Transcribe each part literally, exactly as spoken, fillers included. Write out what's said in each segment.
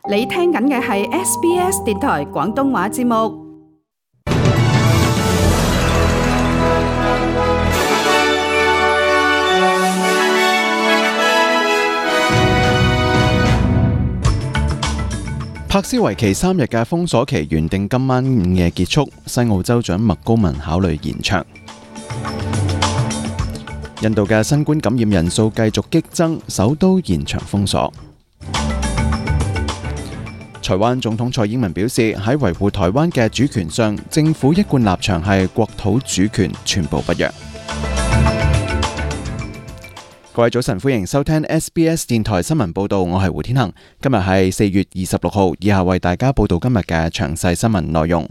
你聽緊嘅係 S B S 電台廣東話節目。柏斯為期三日嘅封鎖期原定今晚午夜結束，西澳州長麥高文考慮延長。印度嘅新冠感染人數繼續激增，首都延長封鎖。台灣總統蔡英文表示，喺維護台灣嘅主權上，政府一貫立場係國土主權全部不讓。各位早晨，歡迎收聽 S B S 電台新聞報道，我係胡天恒。今日係四月二十六號，以下為大家報道今日嘅詳細新聞內容。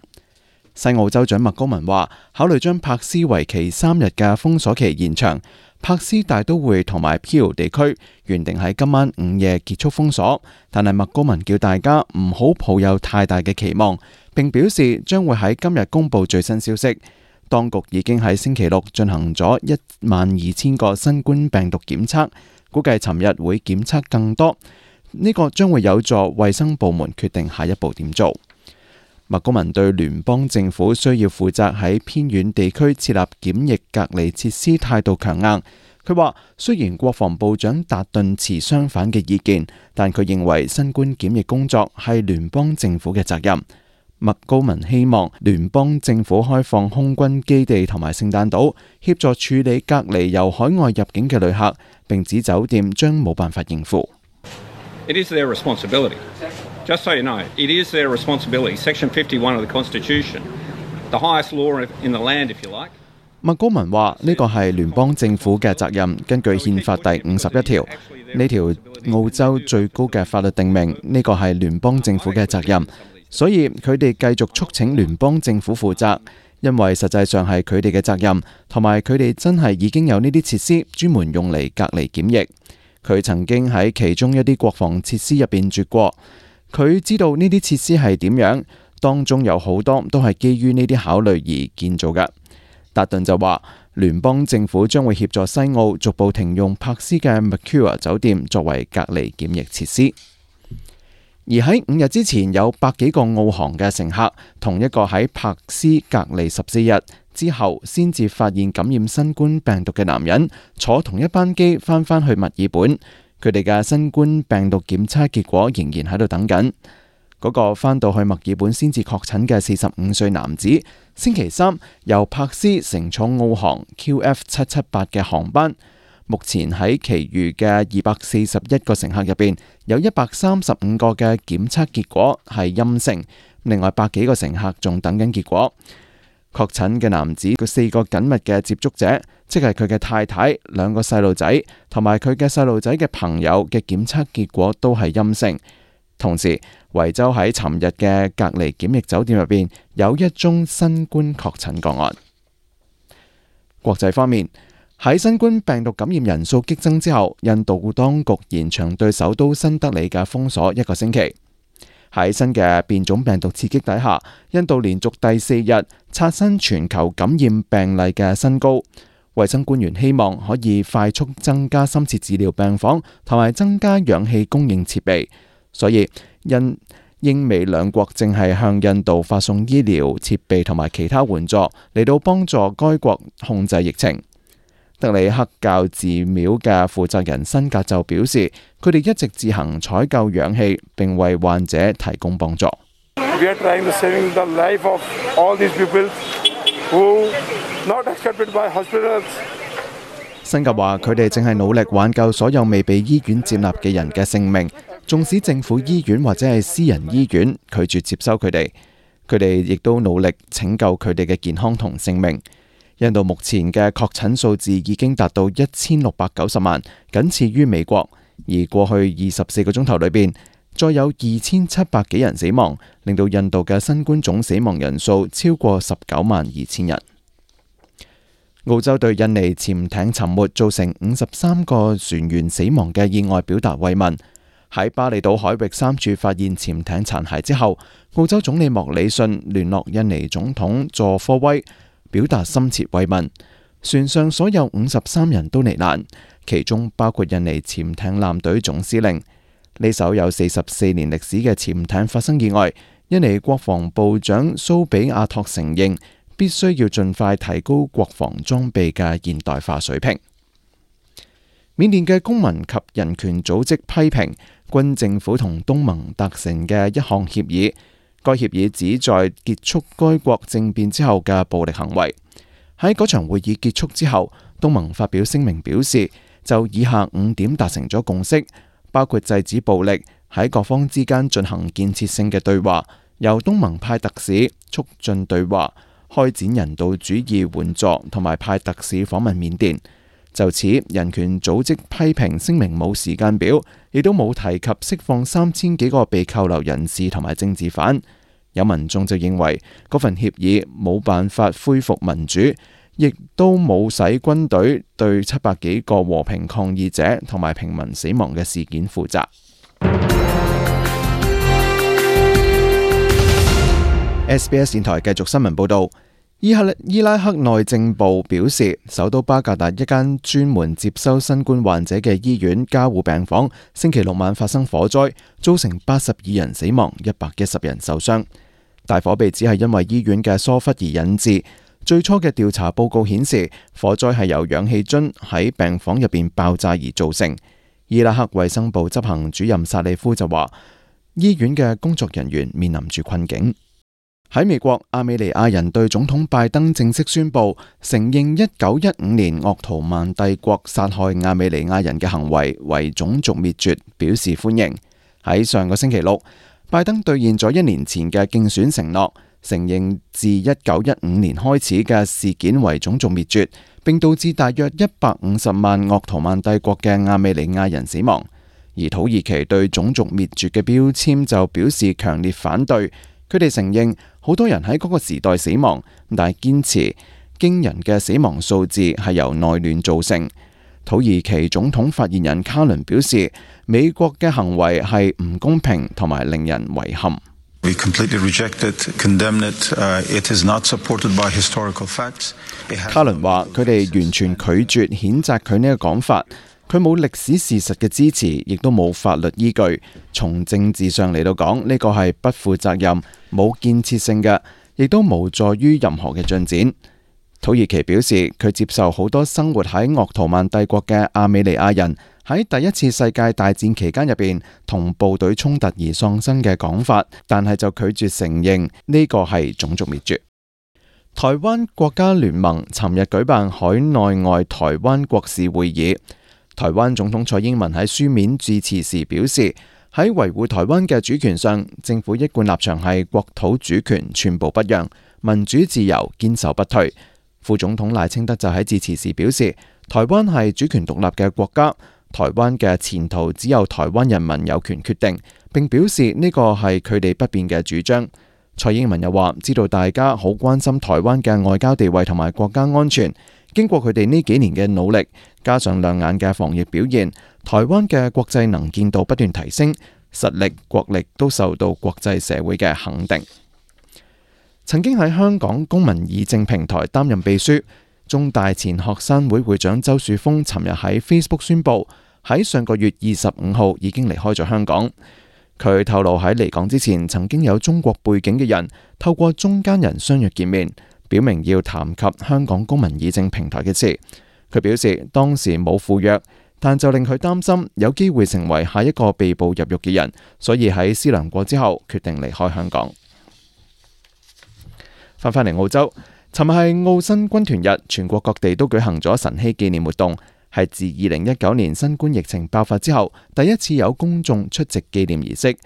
西澳州長麥高文話，考慮將柏斯為期三日嘅封鎖期延長。柏斯大都會同埋 Peel 地區原定喺今晚午夜結束封鎖，但係麥高文叫大家唔好抱有太大嘅期望，並表示將會喺今日公布最新消息。當局已經喺星期六進行咗一萬二千個新冠病毒檢測，估計尋日會檢測更多。呢個將會有助衛生部門決定下一步點做。麥高文對聯邦政府需要負責喺偏遠地區設立檢疫隔離設施態度強硬。佢話雖然國防部長達頓持相反嘅意見，但佢認為新冠檢疫工作係聯邦政府嘅責任。麥高文希望聯邦政府開放空軍基地同埋聖誕島，協助處理隔離由海外入境嘅旅客，並指酒店將冇辦法應付。It is their responsibility. Just so you know, it is their responsibility. Section fifty-one of the Constitution, the highest law in the land, if you like. 麥高文話呢個係聯邦政府嘅責任，根據憲法第五十一條，呢條澳洲最高嘅法律定明，呢個係聯邦政府嘅責任。所以佢哋繼續促請聯邦政府負責，因為實際上係佢哋嘅責任，同埋佢哋真係已經有呢啲設施專門用嚟隔離檢疫。佢曾經喺其中一啲國防設施入邊住過，佢知道呢啲設施係點樣，當中有好多都係基於呢啲考慮而建造嘅。達頓就話，聯邦政府將會協助西澳逐步停用柏斯嘅 Mercure 酒店作為隔離檢疫設施。而喺五日之前，有百幾個澳航嘅乘客同一個喺柏斯隔離十四日之後先至發現感染新冠病毒嘅男人，坐同一班機翻返去墨爾本，佢哋嘅新冠病毒檢測結果仍然喺度等緊。嗰個翻到去墨爾本先至確診嘅四十五歲男子，星期三由柏斯乘坐澳航 Q F 七七八嘅航班。目前喺其餘嘅二百四十一個乘客入邊，有一百三十五個嘅檢測結果係陰性，另外百幾個乘客仲等緊結果。確診嘅男子佢四個緊密嘅接觸者，即係佢嘅太太、兩個細路仔同埋佢嘅細路仔嘅朋友嘅檢測結果都係陰性。同時，維州喺尋日嘅隔離檢疫酒店入邊有一宗新冠確診個案。國際方面，喺新冠病毒感染人數激增之後，印度當局延長對首都新德里嘅封鎖一個星期。喺新嘅變種病毒刺激底下，印度連續第四日刷新全球感染病例嘅新高。衛生官員希望可以快速增加深切治療病房同埋增加氧氣供應設備，所以印英美兩國正係向印度發送醫療設備同埋其他援助嚟到幫助該國控制疫情。德里克教寺廟嘅負責人辛格就表示，佢哋一直自行採購氧氣，並為患者提供幫助。辛格話：佢哋正係努力挽救所有未被醫院接納嘅人嘅性命，縱使政府醫院或者係私人醫院拒絕接收佢哋，佢哋亦都努力拯救佢哋嘅健康同性命。印度目前嘅確診數字已經達到一千六百九十萬，僅次於美國。而過去二十四個鐘頭裏邊，再有二千七百幾人死亡，令到印度嘅新冠總死亡人數超過十九萬二千人。澳洲對印尼潛艇沉沒造成五十三個船員死亡嘅意外表達慰問。喺巴厘島海域三處發現潛艇殘骸之後，澳洲總理莫里遜聯絡印尼總統佐科威，表達深切慰問。船上所有五十三人都罹難，其中包括印尼潛艇艦隊總司令。呢艘有四十四年歷史嘅潛艇發生意外，印尼國防部長蘇比亞托承認必須要盡快提高國防裝備嘅現代化水平。緬甸嘅公民及人權組織批評軍政府同東盟達成嘅一項協議，該協議旨在結束該國政變之後嘅暴力行為。喺嗰場會議結束之後，東盟發表聲明表示，就以下五點達成咗共識，包括制止暴力，喺各方之間進行建設性嘅對話，由東盟派特使促進對話，開展人道主義援助，同埋派特使訪問緬甸。就此，人權組織批評聲明冇時間表，亦都冇提及釋放三千幾個被扣留人士同埋政治犯。有民眾就認為嗰份協議冇辦法恢復民主，亦都冇使軍隊對七百幾個和平抗議者同埋平民死亡嘅事件負責。S B S 電台繼續新聞報道。伊拉克內政部表示，首都巴格達一間專門接收新冠患者嘅醫院加護病房星期六晚發生火災，造成八十二人死亡，一百一十人受傷。大火被指係因為醫院嘅疏忽而引致。最初嘅調查報告顯示，火災係由氧氣樽喺病房入邊爆炸而造成。伊拉克衛生部執行主任薩利夫就話，醫院嘅工作人員面臨住困境。喺美國，亞美尼亞人對總統拜登正式宣布承認一九一五年鄂圖曼帝國殺害亞美尼亞人嘅行為為種族滅絕表示歡迎。喺上個星期六，拜登兌現咗一年前嘅競選承諾，承認自一九一五年開始嘅事件為種族滅絕，並導致大約一百五十萬鄂圖曼帝國嘅亞美尼亞人死亡。而土耳其對種族滅絕嘅標籤就表示強烈反對。佢哋承認好多人喺嗰個時代死亡，但係堅持驚人嘅死亡數字係由內亂造成。土耳其總統發言人卡倫表示，美國嘅行為係唔公平同埋令人遺憾。We completely reject it, condemn it. Uh, it is not supported by historical facts. 卡倫話：佢哋完全拒絕譴責佢呢個講法。佢冇歷史事實嘅支持，亦都冇法律依據。從政治上嚟到講，呢個係不負責任、冇建設性嘅，亦都無助於任何嘅進展。土耳其表示，佢接受好多生活喺鄂圖曼帝國嘅亞美尼亞人喺第一次世界大戰期間入邊同部隊衝突而喪生嘅講法，但係就拒絕承認呢個係種族滅絕。台灣國家聯盟尋日舉辦海內外台灣國事會議。台灣總統蔡英文喺書面致辭時表示，喺維護台灣嘅主權上，政府一貫立場係國土主權寸步不讓，民主自由堅守不退。副總統賴清德就喺致辭時表示，台灣係主權獨立嘅國家，台灣嘅前途只有台灣人民有權決定，並表示呢個係佢哋不變嘅主張。蔡英文又話，知道大家好關心台灣嘅外交地位同埋國家安全。經過佢哋呢幾年嘅努力，加上亮眼嘅防疫表現，台灣嘅國際能見度不斷提升，實力、國力都受到國際社會嘅肯定。曾經喺香港公民議政平台擔任秘書，中大前學生會會長周樹峰尋日喺 Facebook 宣布，喺上個月二十五號已經離開咗香港。佢透露喺離港之前，曾經有中國背景嘅人透過中間人相約見面，表明要談及香港公民議政平台嘅事。佢表示當時冇赴約，但就令佢擔心有機會成為下一個被捕入獄嘅人，所以喺思量過之後決定離開香港。翻返嚟澳洲，尋日係澳新軍團日，全國各地都舉行咗晨曦紀念活動，係自二零一九年新冠疫情爆發之後第一次有公眾出席紀念儀式。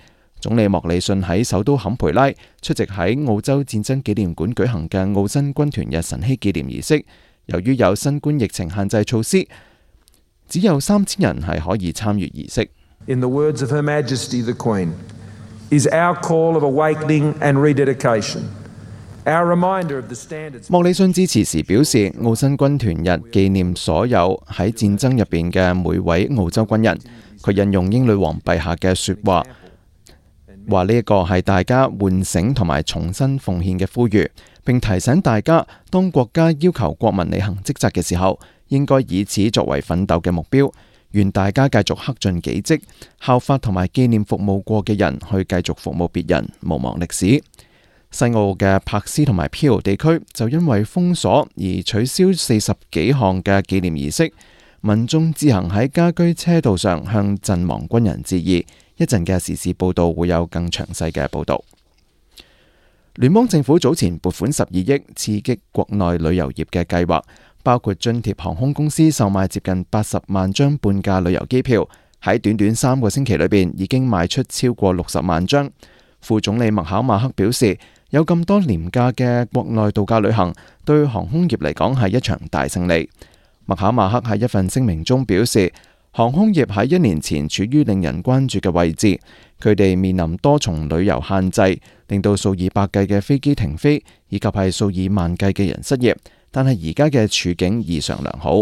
總理莫里遜喺首都坎培拉出席喺澳洲戰爭紀念館舉行嘅澳新軍團日晨曦紀念儀式。由於有新冠疫情限制措施，只有三千人係可以參與儀式。In the words of Her Majesty the Queen, is our call of awakening and rededication. Our reminder of the standards. 莫里遜致辭時表示，澳新軍團日紀念所有喺戰爭入邊嘅每位澳洲軍人。佢引用英女王陛下嘅說話，話呢一個係大家喚醒同埋重新奉獻嘅呼籲，並提醒大家，當國家要求國民履行職責嘅時候，應該以此作為奮鬥嘅目標。願大家繼續恪盡己職，效法同埋紀念服務過嘅人，去繼續服務別人，毋忘歷史。西澳嘅柏斯同埋 Peel 地區就因為封鎖而取消四十幾項嘅紀念儀式，民眾自行喺家居車道上向陣亡軍人致意。一陣嘅時事報導會有更詳細嘅報導。聯邦政府早前撥款十二億刺激國內旅遊業嘅計劃，包括津貼航空公司售賣接近八十萬張半價旅遊機票，喺短短三個星期裏邊已經賣出超過六十萬張。副總理麥考馬克表示，有咁多廉價嘅國內度假旅行，對航空業嚟講係一場大勝利。麥考馬克喺一份聲明中表示，航空業喺一年前處於令人關注嘅位置，佢哋面臨多重旅遊限制，令到數以百計嘅飛機停飛，以及係數以萬計嘅人失業。但係而家嘅處境異常良好。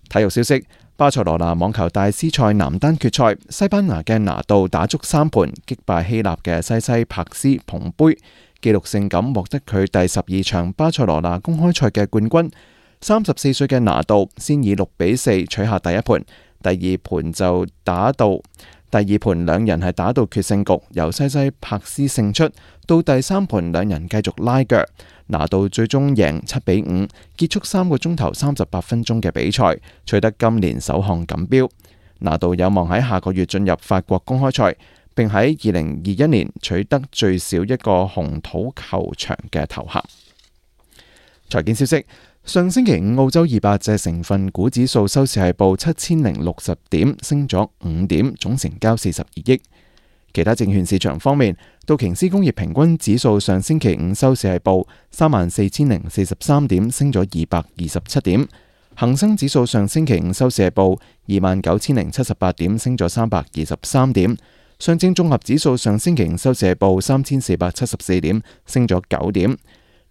體育消息，巴塞羅那網球大師賽男單決賽，西班牙嘅拿度打足三盤擊敗希臘嘅西西帕斯捧杯，紀錄性咁獲得佢第十二場巴塞羅那公開賽嘅冠軍。三十四歲嘅拿度先以六比四取下第一盤，第二盤就打到第二盤兩人係打到決勝局，由西西帕斯勝出。到第三盤兩人繼續拉鋸，拿度最終贏七比五，結束三個鐘頭三十八分鐘嘅比賽，取得今年首項錦標。拿度有望喺下個月進入法國公開賽，並喺二零二一年取得最少一個紅土球場嘅頭銜。財經消息。上星期五，澳洲二百隻成分股指數收市係報七千零六十點，升咗五點，總成交四十二億。其他證券市場方面，道瓊斯工業平均指數上星期五收市係報三萬四千零四十三點，升咗二百二十七點。恒生指數上星期五收市係報二萬九千零七十八點，升咗三百二十三點。上證綜合指數上星期五收市係報三千四百七十四點，升咗九點。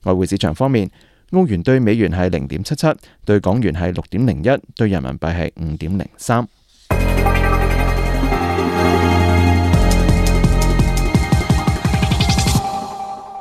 外匯市場方面，澳元對美元係零點七七，對港元係六點零一，對人民幣係五點零三。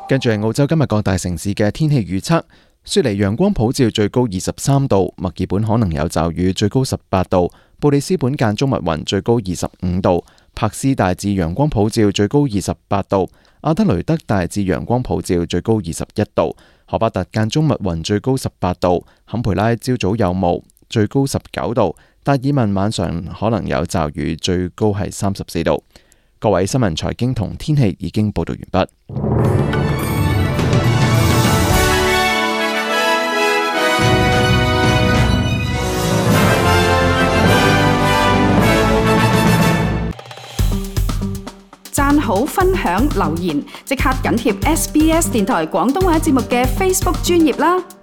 跟住係澳洲今日各大城市嘅天氣預測：雪梨陽光普照，最高二十三度；墨爾本可能有驟雨，最高十八度；布里斯本間中密雲，最高二十五度；柏斯大致陽光普照，最高二十八度；阿德雷德大致陽光普照，最高二十一度。荷巴特間中密雲，最高十八度；坎培拉朝早有霧，最高十九度；達爾文晚上可能有驟雨，最高係三十四度。各位新聞財經同天氣已經報道完畢。讚好、分享、留言，即刻緊貼 S B S 電台廣東話節目嘅 Facebook 專頁啦！